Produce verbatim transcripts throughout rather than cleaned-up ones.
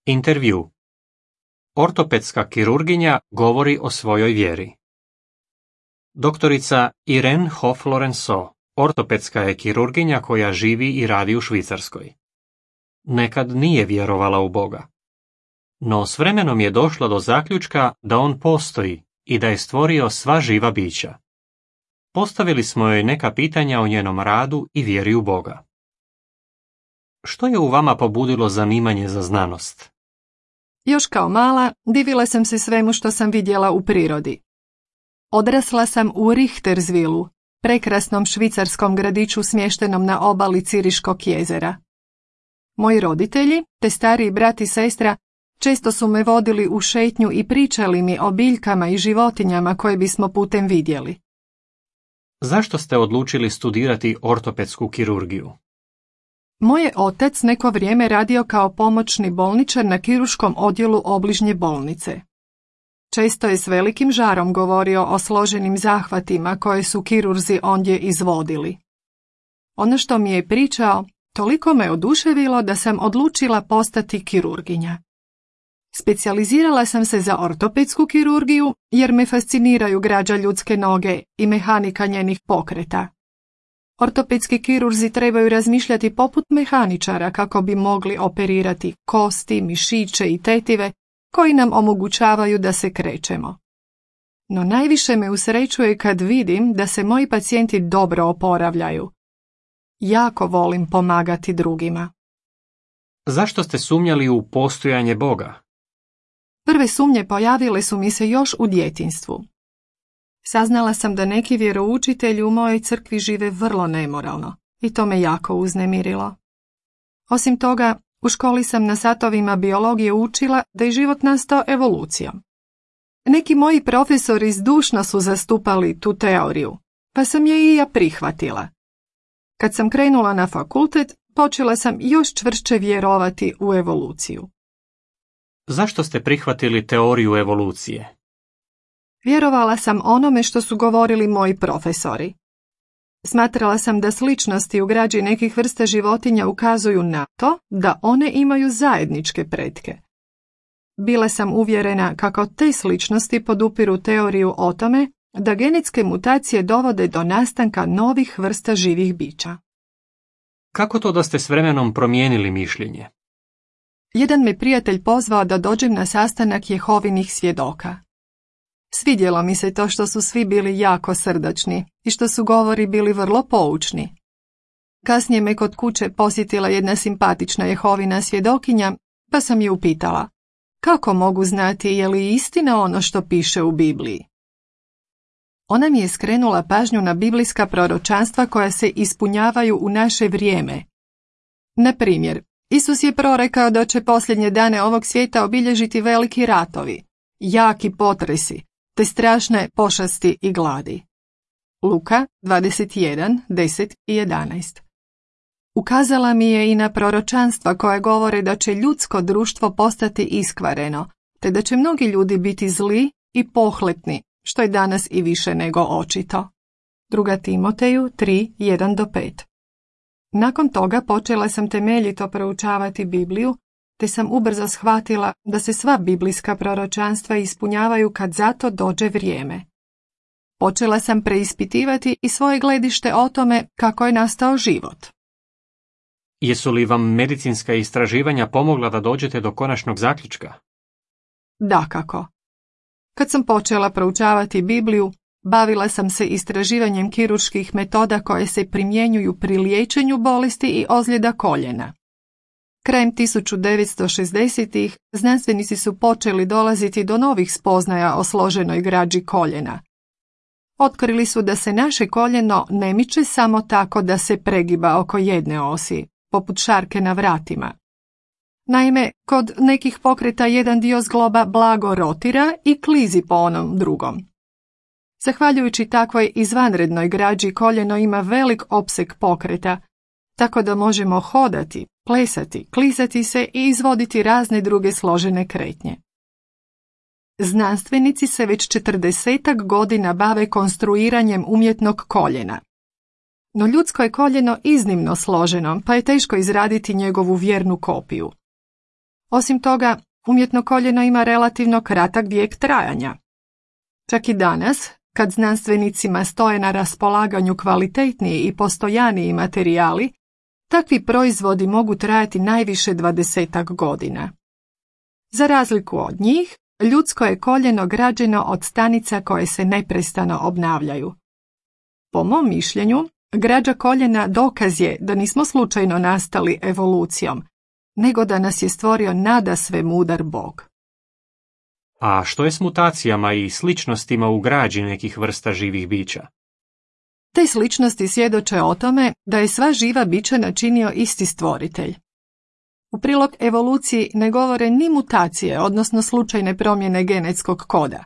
Intervju. Ortopedska kirurginja govori o svojoj vjeri. Doktorica Irene Hoff-Lorenzo, ortopedska je kirurginja koja živi i radi u Švicarskoj. Nekad nije vjerovala u Boga. No s vremenom je došla do zaključka da on postoji i da je stvorio sva živa bića. Postavili smo joj neka pitanja o njenom radu i vjeri u Boga. Što je u vama pobudilo zanimanje za znanost? Još kao mala divila sam se svemu što sam vidjela u prirodi. Odrasla sam u Richterswilu, prekrasnom švicarskom gradiću smještenom na obali Ciriškog jezera. Moji roditelji, te stariji brat i sestra, često su me vodili u šetnju i pričali mi o biljkama i životinjama koje bismo putem vidjeli. Zašto ste odlučili studirati ortopedsku kirurgiju? Moj je otac neko vrijeme radio kao pomoćni bolničar na kirurškom odjelu obližnje bolnice. Često je s velikim žarom govorio o složenim zahvatima koje su kirurzi ondje izvodili. Ono što mi je pričao toliko me oduševilo da sam odlučila postati kirurginja. Specijalizirala sam se za ortopedsku kirurgiju jer me fasciniraju građa ljudske noge i mehanika njenih pokreta. Ortopedski kirurzi trebaju razmišljati poput mehaničara kako bi mogli operirati kosti, mišiće i tetive koji nam omogućavaju da se krećemo. No najviše me usrećuje kad vidim da se moji pacijenti dobro oporavljaju. Jako volim pomagati drugima. Zašto ste sumnjali u postojanje Boga? Prve sumnje pojavile su mi se još u djetinjstvu. Saznala sam da neki vjeroučitelji u mojoj crkvi žive vrlo nemoralno i to me jako uznemirilo. Osim toga, u školi sam na satovima biologije učila da je život nastao evolucijom. Neki moji profesori zdušno su zastupali tu teoriju, pa sam je i ja prihvatila. Kad sam krenula na fakultet, počela sam još čvršće vjerovati u evoluciju. Zašto ste prihvatili teoriju evolucije? Vjerovala sam onome što su govorili moji profesori. Smatrala sam da sličnosti u građi nekih vrsta životinja ukazuju na to da one imaju zajedničke pretke. Bila sam uvjerena kako te sličnosti podupiru teoriju o tome da genetske mutacije dovode do nastanka novih vrsta živih bića. Kako to da ste s vremenom promijenili mišljenje? Jedan me prijatelj pozvao da dođem na sastanak Jehovinih svjedoka. Svidjelo mi se to što su svi bili jako srdačni i što su govori bili vrlo poučni. Kasnije me kod kuće posjetila jedna simpatična Jehovina svjedokinja, pa sam je upitala: kako mogu znati je li istina ono što piše u Bibliji? Ona mi je skrenula pažnju na biblijska proročanstva koja se ispunjavaju u naše vrijeme. Na primjer, Isus je prorekao da će posljednje dane ovog svijeta obilježiti veliki ratovi, jaki potresi, te strašne pošasti i gladi. Luka dvadeset jedan, deset i jedanaest. Ukazala mi je i na proročanstva koje govore da će ljudsko društvo postati iskvareno, te da će mnogi ljudi biti zli i pohlepni, što je danas i više nego očito. Druga Timoteju tri, jedan do pet. Nakon toga počela sam temeljito proučavati Bibliju, te sam ubrzo shvatila da se sva biblijska proročanstva ispunjavaju kad za to dođe vrijeme. Počela sam preispitivati i svoje gledište o tome kako je nastao život. Jesu li vam medicinska istraživanja pomogla da dođete do konačnog zaključka? Dakako. Kad sam počela proučavati Bibliju, bavila sam se istraživanjem kirurških metoda koje se primjenjuju pri liječenju bolesti i ozljeda koljena. Krajem tisuću devetsto šezdesetih znanstvenici su počeli dolaziti do novih spoznaja o složenoj građi koljena. Otkrili su da se naše koljeno ne miče samo tako da se pregiba oko jedne osi, poput šarke na vratima. Naime, kod nekih pokreta jedan dio zgloba blago rotira i klizi po onom drugom. Zahvaljujući takvoj izvanrednoj građi koljeno ima velik opseg pokreta, tako da možemo hodati, plesati, klizati se i izvoditi razne druge složene kretnje. Znanstvenici se već četrdesetak godina bave konstruiranjem umjetnog koljena. No ljudsko je koljeno iznimno složeno, pa je teško izraditi njegovu vjernu kopiju. Osim toga, umjetno koljeno ima relativno kratak vijek trajanja. Čak i danas, kad znanstvenicima stoje na raspolaganju kvalitetniji i postojaniji materijali, takvi proizvodi mogu trajati najviše dvadesetak godina. Za razliku od njih, ljudsko je koljeno građeno od stanica koje se neprestano obnavljaju. Po mom mišljenju, građa koljena dokaz je da nismo slučajno nastali evolucijom, nego da nas je stvorio nadasve mudar Bog. A što je s mutacijama i sličnostima u građi nekih vrsta živih bića? Te sličnosti svjedoče o tome da je sva živa bića načinio isti stvoritelj. U prilog evoluciji ne govore ni mutacije, odnosno slučajne promjene genetskog koda.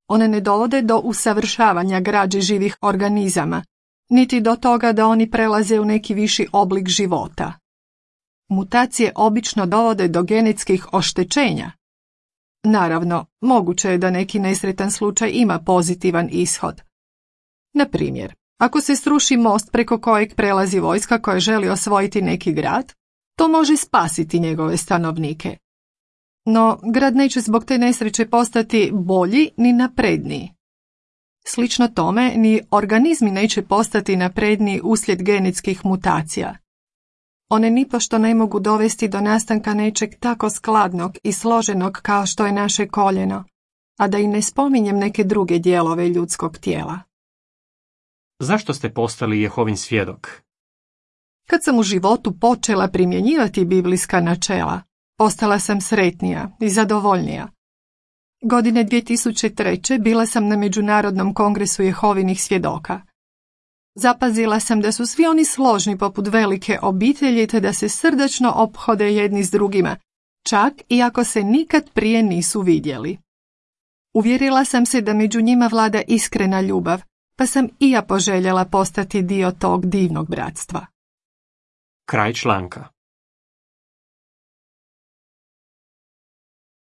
One ne dovode do usavršavanja građe živih organizama, niti do toga da oni prelaze u neki viši oblik života. Mutacije obično dovode do genetskih oštećenja. Naravno, moguće je da neki nesretan slučaj ima pozitivan ishod. Na primjer, ako se sruši most preko kojeg prelazi vojska koja želi osvojiti neki grad, to može spasiti njegove stanovnike. No, grad neće zbog te nesreće postati bolji ni napredniji. Slično tome, ni organizmi neće postati napredniji uslijed genetskih mutacija. One nipošto ne mogu dovesti do nastanka nečeg tako skladnog i složenog kao što je naše koljeno, a da i ne spominjem neke druge dijelove ljudskog tijela. Zašto ste postali Jehovin svjedok? Kad sam u životu počela primjenjivati biblijska načela, postala sam sretnija i zadovoljnija. Godine dvije tisuće treće bila sam na Međunarodnom kongresu Jehovinih svjedoka. Zapazila sam da su svi oni složni poput velike obitelji te da se srdačno ophode jedni s drugima, čak i ako se nikad prije nisu vidjeli. Uvjerila sam se da među njima vlada iskrena ljubav, pa sam i ja poželjela postati dio tog divnog bratstva. Kraj članka.